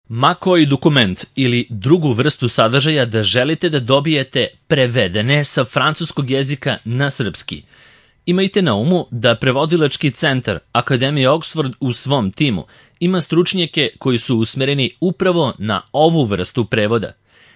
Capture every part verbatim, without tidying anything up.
Ma koji dokument ili drugu vrstu sadržaja da želite da dobijete prevedene sa francuskog jezika na srpski. Imajte na umu da prevodilački centar Akademije Oxford u svom timu ima stručnjake koji su usmereni upravo na ovu vrstu prevoda,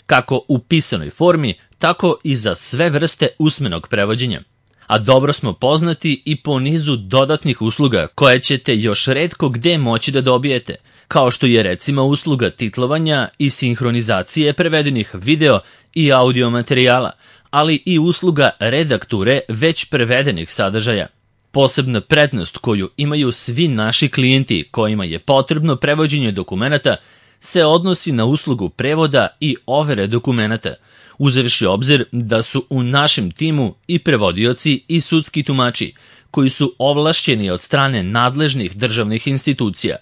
kako u pisanoj formi, tako i za sve vrste usmenog prevođenja. A dobro smo poznati i po nizu dodatnih usluga koje ćete još retko gde moći da dobijete, kao što je recimo usluga titlovanja i sinhronizacije prevedenih video i audio materijala, ali i usluga redakture već prevedenih sadržaja. Posebna prednost koju imaju svi naši klijenti kojima je potrebno prevođenje dokumenata se odnosi na uslugu prevoda i overe dokumenata, uzevši obzir da su u našem timu i prevodioci i sudski tumači, koji su ovlašćeni od strane nadležnih državnih institucija.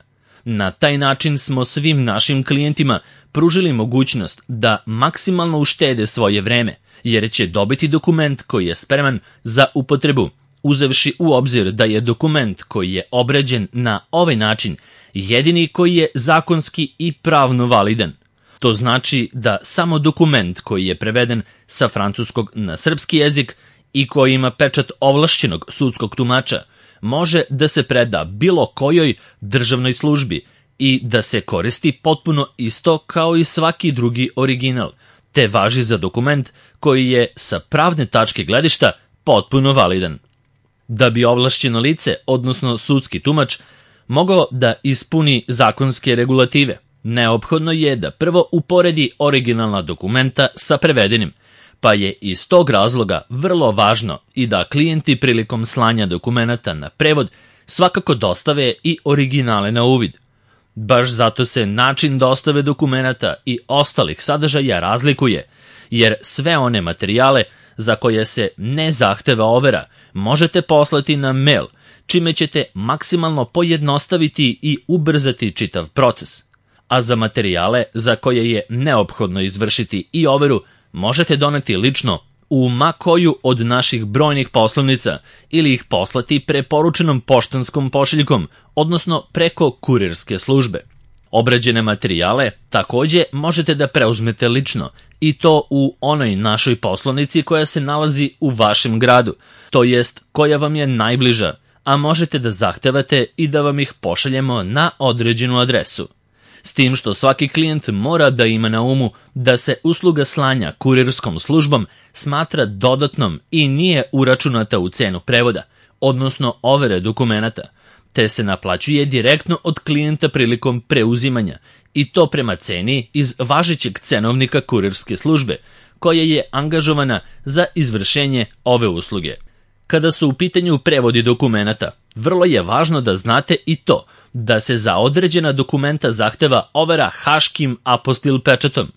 Na taj način smo svim našim klijentima pružili mogućnost da maksimalno uštede svoje vreme, jer će dobiti dokument koji je spreman za upotrebu, uzevši u obzir da je dokument koji je obrađen na ovaj način jedini koji je zakonski i pravno validan. To znači da samo dokument koji je preveden sa francuskog na srpski jezik i koji ima pečat ovlašćenog sudskog tumača može da se preda bilo kojoj državnoj službi i da se koristi potpuno isto kao i svaki drugi original, te važi za dokument koji je sa pravne tačke gledišta potpuno validan. Da bi ovlašćeno lice, odnosno sudski tumač, mogao da ispuni zakonske regulative, neophodno je da prvo uporedi originalna dokumenta sa prevedenim, pa je iz tog razloga vrlo važno i da klijenti prilikom slanja dokumenata na prevod svakako dostave i originale na uvid. Baš zato se način dostave dokumenata i ostalih sadržaja razlikuje, jer sve one materijale za koje se ne zahteva overa možete poslati na mail, čime ćete maksimalno pojednostaviti i ubrzati čitav proces. A za materijale za koje je neophodno izvršiti i overu možete doneti lično u ma koju od naših brojnih poslovnica ili ih poslati preporučenom poštanskom pošiljkom, odnosno preko kurirske službe. Obrađene materijale takođe možete da preuzmete lično i to u onoj našoj poslovnici koja se nalazi u vašem gradu, to jest koja vam je najbliža, a možete da zahtevate i da vam ih pošaljemo na određenu adresu. S tim što svaki klijent mora da ima na umu da se usluga slanja kurirskom službom smatra dodatnom i nije uračunata u cenu prevoda, odnosno overe dokumenata, te se naplaćuje direktno od klijenta prilikom preuzimanja i to prema ceni iz važećeg cenovnika kurirske službe, koja je angažovana za izvršenje ove usluge. Kada su u pitanju prevodi dokumenata, vrlo je važno da znate i to da se za određena dokumenta zahteva overa haškim apostil pečatom,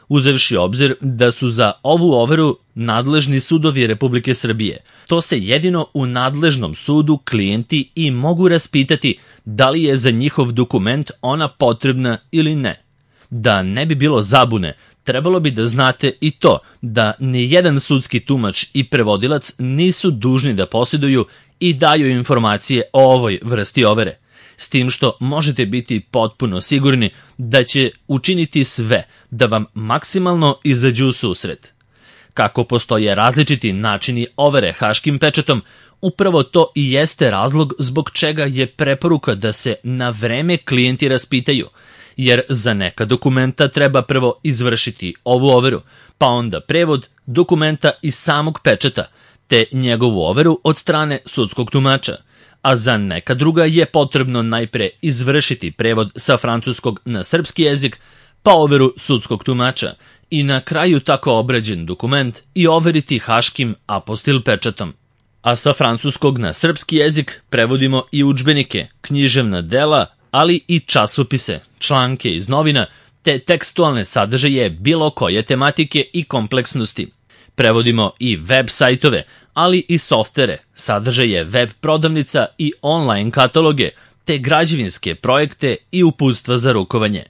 uzevši obzir da su za ovu overu nadležni sudovi Republike Srbije. To se jedino u nadležnom sudu klijenti i mogu raspitati da li je za njihov dokument ona potrebna ili ne. Da ne bi bilo zabune, trebalo bi da znate i to da nijedan sudski tumač i prevodilac nisu dužni da posjeduju i daju informacije o ovoj vrsti overe, s tim što možete biti potpuno sigurni da će učiniti sve da vam maksimalno izađu u susret. Kako postoje različiti načini overe haškim pečatom, upravo to i jeste razlog zbog čega je preporuka da se na vreme klijenti raspitaju, jer za neka dokumenta treba prvo izvršiti ovu overu, pa onda prevod dokumenta iz samog pečata, te njegovu overu od strane sudskog tumača, a za neka druga je potrebno najpre izvršiti prevod sa francuskog na srpski jezik, pa overu sudskog tumača i na kraju tako obrađen dokument i overiti haškim apostil pečatom. A sa francuskog na srpski jezik prevodimo i udžbenike, književna dela, ali i časopise, članke iz novina, te tekstualne sadržaje bilo koje tematike i kompleksnosti. Prevodimo i web sajtove, ali i softere, sadržaje web prodavnica i online kataloge, te građevinske projekte i uputstva za rukovanje.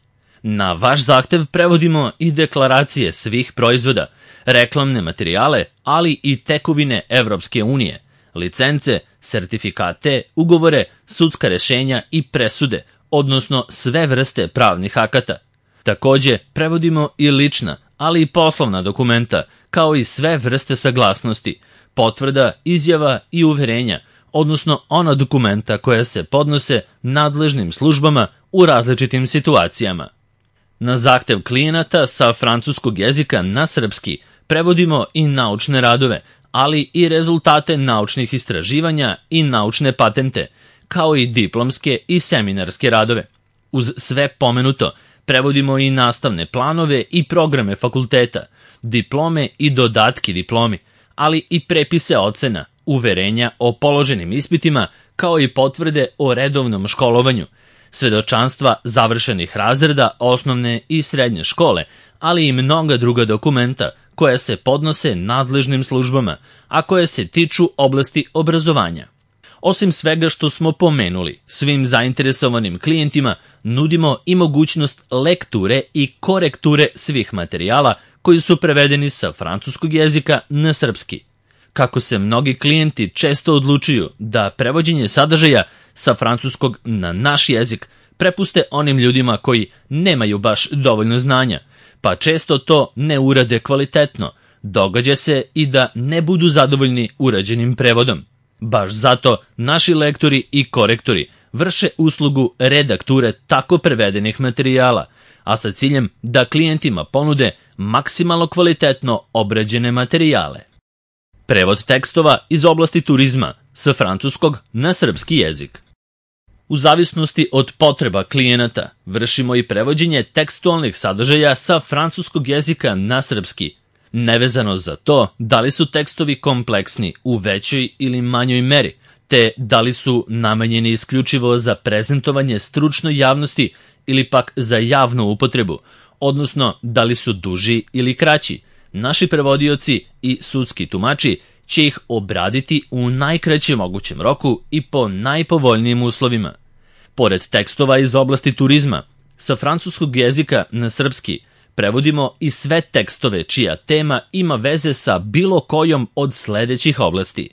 Na vaš zahtev prevodimo i deklaracije svih proizvoda, reklamne materijale, ali i tekovine Evropske unije, licence, sertifikate, ugovore, sudska rešenja i presude, odnosno sve vrste pravnih akata. Takođe, prevodimo i lična, ali i poslovna dokumenta, kao i sve vrste saglasnosti, potvrda, izjava i uverenja, odnosno ona dokumenta koja se podnose nadležnim službama u različitim situacijama. Na zahtev klijenata sa francuskog jezika na srpski prevodimo i naučne radove, ali i rezultate naučnih istraživanja i naučne patente, kao i diplomske i seminarske radove. Uz sve pomenuto, prevodimo i nastavne planove i programe fakulteta, diplome i dodatki diplomi, ali i prepise ocena, uverenja o položenim ispitima, kao i potvrde o redovnom školovanju, svedočanstva završenih razreda osnovne i srednje škole, ali i mnoga druga dokumenta koja se podnose nadležnim službama, a koje se tiču oblasti obrazovanja. Osim svega što smo pomenuli, svim zainteresovanim klijentima nudimo i mogućnost lekture i korekture svih materijala koji su prevedeni sa francuskog jezika na srpski. Kako se mnogi klijenti često odlučuju da prevođenje sadržaja sa francuskog na naš jezik prepuste onim ljudima koji nemaju baš dovoljno znanja, pa često to ne urade kvalitetno, događa se i da ne budu zadovoljni urađenim prevodom. Baš zato naši lektori i korektori vrše uslugu redakture tako prevedenih materijala, a sa ciljem da klijentima ponude maksimalno kvalitetno obrađene materijale. Prevod tekstova iz oblasti turizma sa francuskog na srpski jezik. U zavisnosti od potreba klijenata vršimo i prevođenje tekstualnih sadržaja sa francuskog jezika na srpski, nevezano za to da li su tekstovi kompleksni u većoj ili manjoj meri, te da li su namenjeni isključivo za prezentovanje stručnoj javnosti ili pak za javnu upotrebu, odnosno da li su duži ili kraći. Naši prevodioci i sudski tumači će ih obraditi u najkraćem mogućem roku i po najpovoljnijim uslovima. Pored tekstova iz oblasti turizma, sa francuskog jezika na srpski prevodimo i sve tekstove čija tema ima veze sa bilo kojom od sledećih oblasti: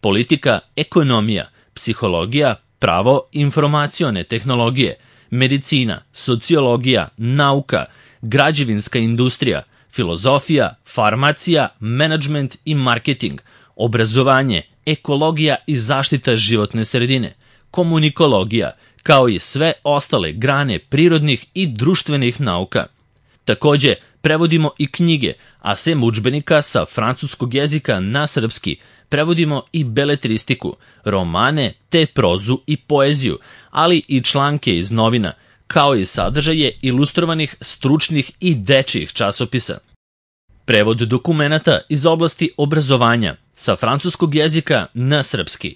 politika, ekonomija, psihologija, pravo, informacione tehnologije, medicina, sociologija, nauka, građevinska industrija, filozofija, farmacija, menadžment i marketing, obrazovanje, ekologija i zaštita životne sredine, komunikologija, kao i sve ostale grane prirodnih i društvenih nauka. Takođe, prevodimo i knjige, a sem udžbenika sa francuskog jezika na srpski prevodimo i beletristiku, romane te prozu i poeziju, ali i članke iz novina, kao i sadržaje ilustrovanih stručnih i dečijih časopisa. Prevod dokumenata iz oblasti obrazovanja sa francuskog jezika na srpski.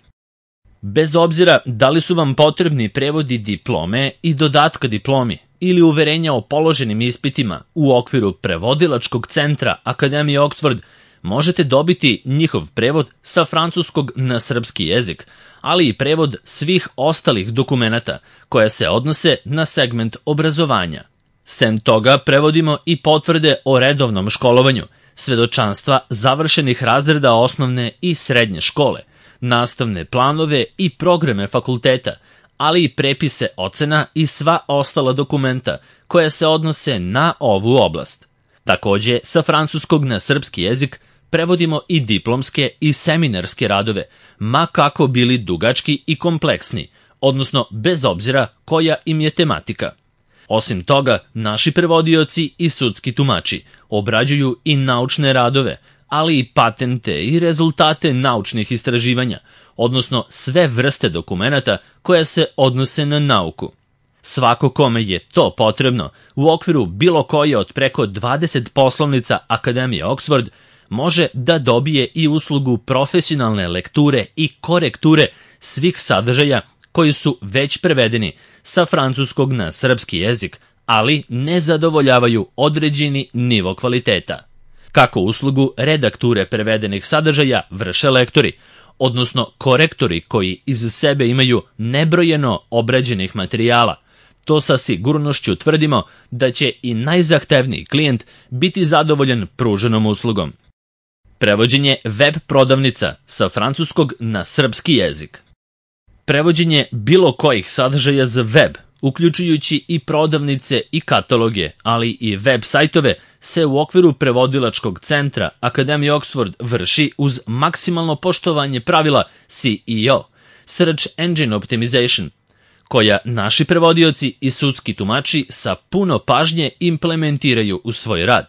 Bez obzira da li su vam potrebni prevodi diplome i dodatka diplomi ili uverenja o položenim ispitima u okviru prevodilačkog centra Akademije Oxford, možete dobiti njihov prevod sa francuskog na srpski jezik, ali i prevod svih ostalih dokumenata koja se odnose na segment obrazovanja. Sem toga, prevodimo i potvrde o redovnom školovanju, svedočanstva završenih razreda osnovne i srednje škole, nastavne planove i programe fakulteta, ali i prepise ocena i sva ostala dokumenta koja se odnose na ovu oblast. Takođe, sa francuskog na srpski jezik prevodimo i diplomske i seminarske radove, ma kako bili dugački i kompleksni, odnosno bez obzira koja im je tematika. Osim toga, naši prevodioci i sudski tumači obrađuju i naučne radove, ali i patente i rezultate naučnih istraživanja, odnosno sve vrste dokumenata koje se odnose na nauku. Svako kome je to potrebno, u okviru bilo koje od preko dvadeset poslovnica Akademije Oxford, može da dobije i uslugu profesionalne lekture i korekture svih sadržaja koji su već prevedeni sa francuskog na srpski jezik, ali ne zadovoljavaju određeni nivo kvaliteta. Kako uslugu redakture prevedenih sadržaja vrše lektori, odnosno korektori koji iz sebe imaju nebrojeno obrađenih materijala, to sa sigurnošću tvrdimo da će i najzahtevniji klijent biti zadovoljan pruženom uslugom. Prevođenje web prodavnica sa francuskog na srpski jezik. Prevođenje bilo kojih sadržaja za web, uključujući i prodavnice i kataloge, ali i web sajtove, se u okviru prevodilačkog centra Akademije Oxford vrši uz maksimalno poštovanje pravila S E O, Search Engine Optimization, koja naši prevodioci i sudski tumači sa puno pažnje implementiraju u svoj rad.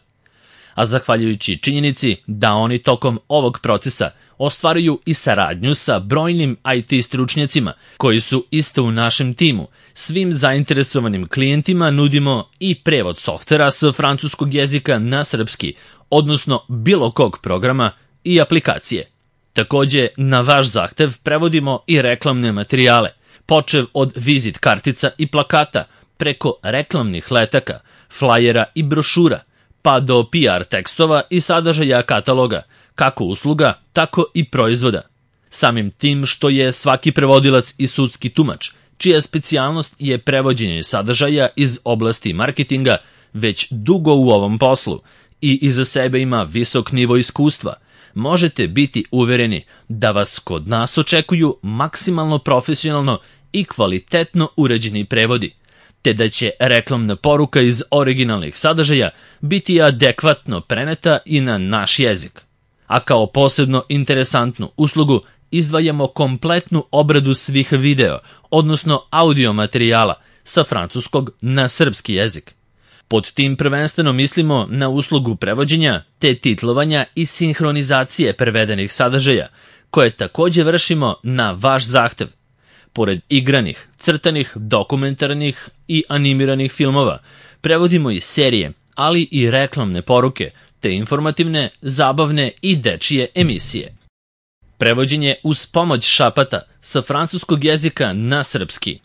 A zahvaljujući činjenici da oni tokom ovog procesa ostvaruju i saradnju sa brojnim I T stručnjacima koji su isto u našem timu, svim zainteresovanim klijentima nudimo i prevod softvera sa francuskog jezika na srpski, odnosno bilo kog programa i aplikacije. Takođe, na vaš zahtev prevodimo i reklamne materijale, počev od vizit kartica i plakata, preko reklamnih letaka, flajera i brošura, pa do P R tekstova i sadržaja kataloga, kako usluga, tako i proizvoda. Samim tim što je svaki prevodilac i sudski tumač, čija specijalnost je prevođenje sadržaja iz oblasti marketinga, već dugo u ovom poslu i iza sebe ima visok nivo iskustva, možete biti uvereni da vas kod nas očekuju maksimalno profesionalno i kvalitetno uređeni prevodi, te da će reklamna poruka iz originalnih sadržaja biti adekvatno preneta i na naš jezik. A kao posebno interesantnu uslugu izdvajamo kompletnu obradu svih video, odnosno audio materijala sa francuskog na srpski jezik. Pod tim prvenstveno mislimo na uslugu prevođenja te titlovanja i sinhronizacije prevedenih sadržaja, koje takođe vršimo na vaš zahtev. Pored igranih, crtanih, dokumentarnih i animiranih filmova, prevodimo i serije, ali i reklamne poruke, te informativne, zabavne i dečije emisije. Prevođenje uz pomoć šapata sa francuskog jezika na srpski.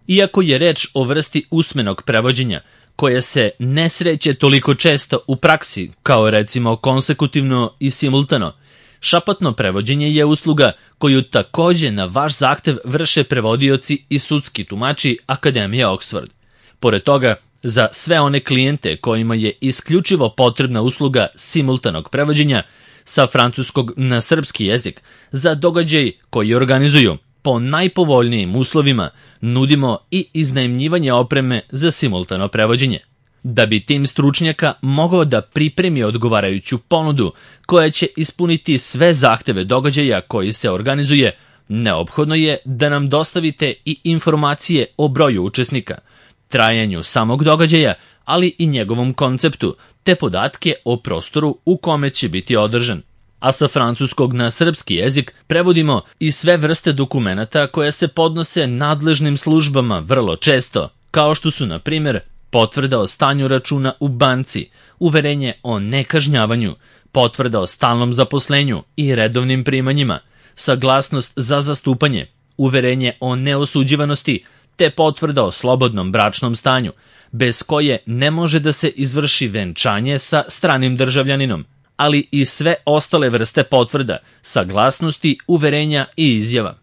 Iako je reč o vrsti usmenog prevođenja, koje se ne sreće toliko često u praksi, kao recimo konsekutivno i simultano, šapatno prevođenje je usluga koju takođe na vaš zahtev vrše prevodioci i sudski tumači Akademije Oxford. Pored toga, za sve one klijente kojima je isključivo potrebna usluga simultanog prevođenja sa francuskog na srpski jezik, za događaj koji organizuju po najpovoljnijim uslovima nudimo i iznajmljivanje opreme za simultano prevođenje. Da bi tim stručnjaka mogao da pripremi odgovarajuću ponudu koja će ispuniti sve zahteve događaja koji se organizuje, neophodno je da nam dostavite i informacije o broju učesnika, trajanju samog događaja, ali i njegovom konceptu, te podatke o prostoru u kome će biti održan. A sa francuskog na srpski jezik prevodimo i sve vrste dokumenata koje se podnose nadležnim službama vrlo često, kao što su, na primjer, potvrda o stanju računa u banci, uverenje o nekažnjavanju, potvrda o stalnom zaposlenju i redovnim primanjima, saglasnost za zastupanje, uverenje o neosuđivanosti, te potvrda o slobodnom bračnom stanju, bez koje ne može da se izvrši venčanje sa stranim državljaninom, ali i sve ostale vrste potvrda, saglasnosti, uverenja i izjava.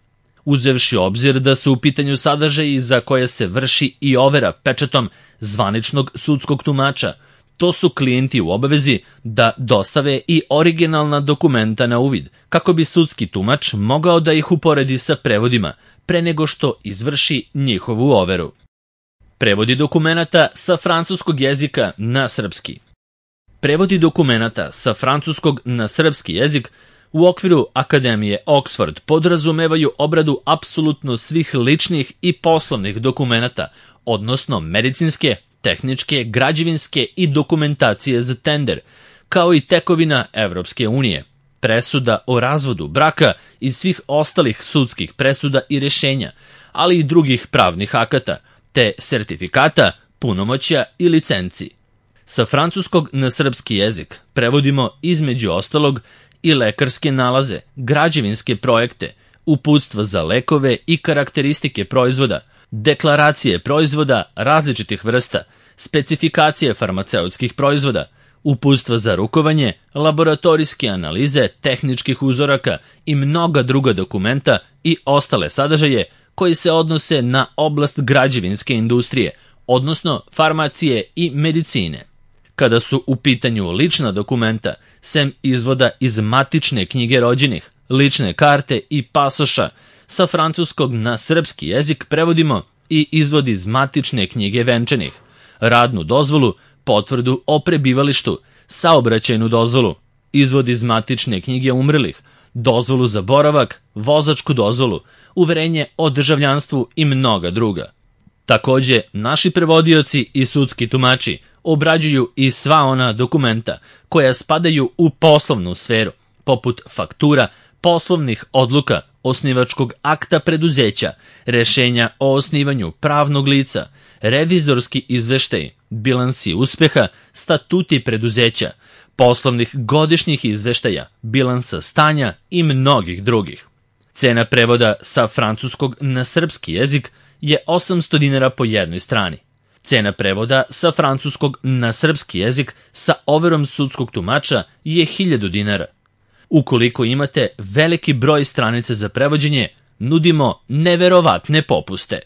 Uzevši obzir da su u pitanju sadržaji za koje se vrši i overa pečatom zvaničnog sudskog tumača, to su klijenti u obavezi da dostave i originalna dokumenta na uvid, kako bi sudski tumač mogao da ih uporedi sa prevodima, pre nego što izvrši njihovu overu. Prevodi dokumenata sa francuskog jezika na srpski. Prevodi dokumenata sa francuskog na srpski jezik u okviru Akademije Oxford podrazumevaju obradu apsolutno svih ličnih i poslovnih dokumenata, odnosno medicinske, tehničke, građevinske i dokumentacije za tender, kao i tekovina Evropske unije, presuda o razvodu braka i svih ostalih sudskih presuda i rešenja, ali i drugih pravnih akata, te sertifikata, punomoćja i licenci. Sa francuskog na srpski jezik prevodimo između ostalog i lekarske nalaze, građevinske projekte, uputstva za lekove i karakteristike proizvoda, deklaracije proizvoda različitih vrsta, specifikacije farmaceutskih proizvoda, uputstva za rukovanje, laboratorijske analize tehničkih uzoraka i mnoga druga dokumenta i ostale sadržaje koji se odnose na oblast građevinske industrije, odnosno farmacije i medicine. Kada su u pitanju lična dokumenta, sem izvoda iz matične knjige rođenih, lične karte i pasoša, sa francuskog na srpski jezik prevodimo i izvod iz matične knjige venčanih, radnu dozvolu, potvrdu o prebivalištu, saobraćajnu dozvolu, izvod iz matične knjige umrlih, dozvolu za boravak, vozačku dozvolu, uverenje o državljanstvu i mnoga druga. Takođe, naši prevodioci i sudski tumači obrađuju i sva ona dokumenta koja spadaju u poslovnu sferu, poput faktura, poslovnih odluka, osnivačkog akta preduzeća, rešenja o osnivanju pravnog lica, revizorski izveštaj, bilansi uspeha, statuti preduzeća, poslovnih godišnjih izveštaja, bilansa stanja i mnogih drugih. Cena prevoda sa francuskog na srpski jezik je osamsto dinara po jednoj strani. Cena prevoda sa francuskog na srpski jezik sa overom sudskog tumača je hiljadu dinara. Ukoliko imate veliki broj stranica za prevođenje, nudimo neverovatne popuste.